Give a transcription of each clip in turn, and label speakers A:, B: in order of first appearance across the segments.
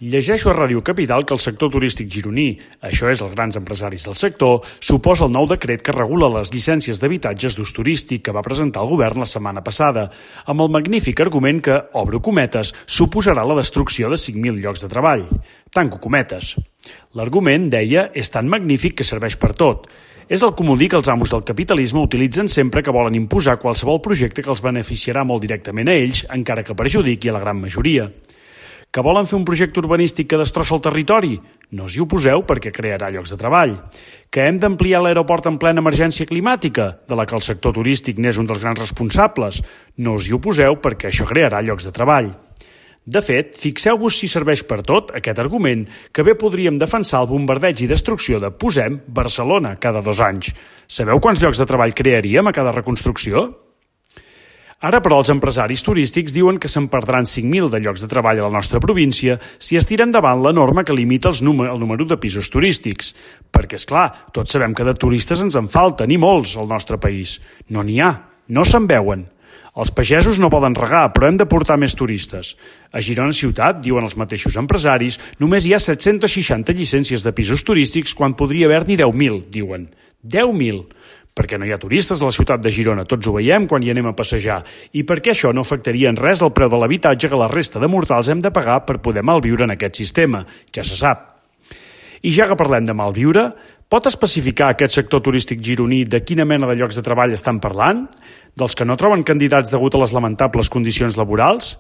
A: Llegeixo a Ràdio Capital que el sector turístic gironí, això és els grans empresaris del sector, s'oposa al nou decret que regula les llicències d'habitatges d'ús turístic que va presentar el govern la setmana passada, amb el magnífic argument que, obro cometes, suposarà la destrucció de 5.000 llocs de treball. Tanco cometes. L'argument, deia, és tan magnífic que serveix per tot. És el comodí que els amos del capitalisme utilitzen sempre que volen imposar qualsevol projecte que els beneficiarà molt directament a ells, encara que perjudiqui a la gran majoria. Que volen fer un projecte urbanístic que destrossa el territori? No us hi oposeu perquè crearà llocs de treball. Que hem d'ampliar l'aeroport en plena emergència climàtica, de la que el sector turístic n'és un dels grans responsables? No us hi oposeu perquè això crearà llocs de treball. De fet, fixeu-vos si serveix per tot aquest argument que bé podríem defensar el bombardeig i destrucció de, posem, Barcelona cada 2 anys. Sabeu quants llocs de treball crearíem a cada reconstrucció? Ara, però, els empresaris turístics diuen que se'n perdran 5.000 de llocs de treball a la nostra província si es tira endavant la norma que limita el número de pisos turístics. Perquè, és clar, tots sabem que de turistes ens en falten, i molts, al nostre país. No n'hi ha, no se'n veuen. Els pagesos no poden regar, però hem de portar més turistes. A Girona ciutat, diuen els mateixos empresaris, només hi ha 760 llicències de pisos turístics quan podria haver-n'hi 10.000, diuen. 10.000! Perquè no hi ha turistes a la ciutat de Girona, tots ho veiem quan hi anem a passejar, i perquè això no afectaria en res el preu de l'habitatge que la resta de mortals hem de pagar per poder malviure en aquest sistema, ja se sap. I ja que parlem de malviure, pot especificar aquest sector turístic gironí de quina mena de llocs de treball estan parlant? Dels que no troben candidats degut a les lamentables condicions laborals?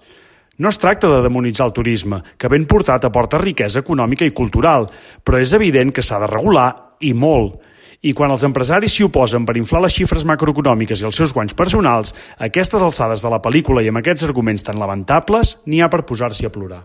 A: No es tracta de demonitzar el turisme, que ben portat aporta riquesa econòmica i cultural, però és evident que s'ha de regular, i molt. I quan els empresaris s'hi oposen per inflar les xifres macroeconòmiques i els seus guanys personals, a aquestes alçades de la pel·lícula i amb aquests arguments tan lamentables, n'hi ha per posar-s'hi a plorar.